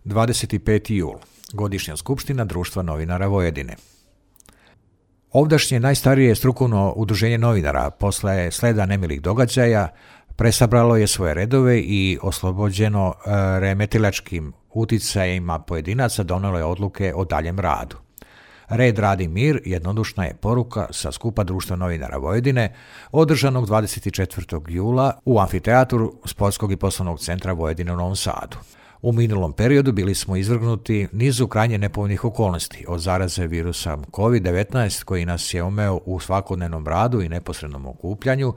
25. jul, godišnja skupština Društva novinara Vojvodine. Ovdašnje najstarije strukovno udruženje novinara posle sleda nemilih događaja presabralo je svoje redove i oslobođeno remetilačkim uticajima pojedinaca donelo je odluke o daljem radu. Red, rad i mir jednodušna je poruka sa skupa Društva novinara Vojvodine održanog 24. jula u amfiteatru Sportskog i poslovnog centra Vojvodine u Novom Sadu. U minulom periodu bili smo izvrgnuti nizu krajnje nepovoljnih okolnosti, od zaraze virusa COVID-19 koji nas je omeo u svakodnevnom radu i neposrednom okupljanju,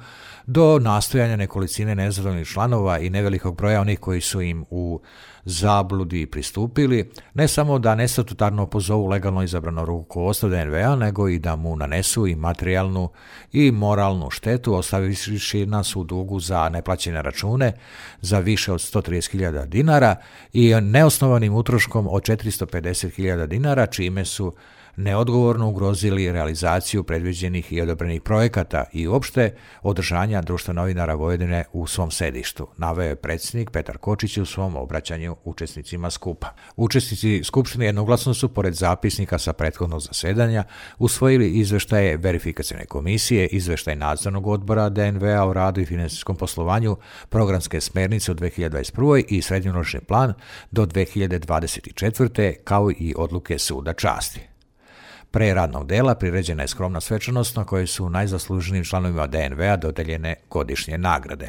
do nastojanja nekolicine nezadovoljnih članova i nevelikog broja onih koji su im u zabludi pristupili, ne samo da nestatutarno pozovu legalno izabrano rukovodstvo DNV-a, nego i da mu nanesu i materijalnu i moralnu štetu, ostavivši nas u dugu za neplaćene račune za više od 130.000 dinara i neosnovanim utroškom od 450.000 dinara, čime su neodgovorno ugrozili realizaciju predviđenih i odobrenih projekata i uopšte održanja Društva novinara Vojvodine u svom sedištu, naveo je predsjednik Petar Kočić u svom obraćanju učesnicima skupa. Učesnici skupštine jednoglasno su, pored zapisnika sa prethodnog zasedanja, usvojili izveštaje verifikacione komisije, izveštaj nadzornog odbora DNV-a o radu i finansijskom poslovanju, programske smernice u 2021. i srednjoročni plan do 2024. kao i odluke suda časti. Pre radnog dela priređena je skromna svečanost na kojoj su najzasluženijim članovima DNV-a dodeljene godišnje nagrade.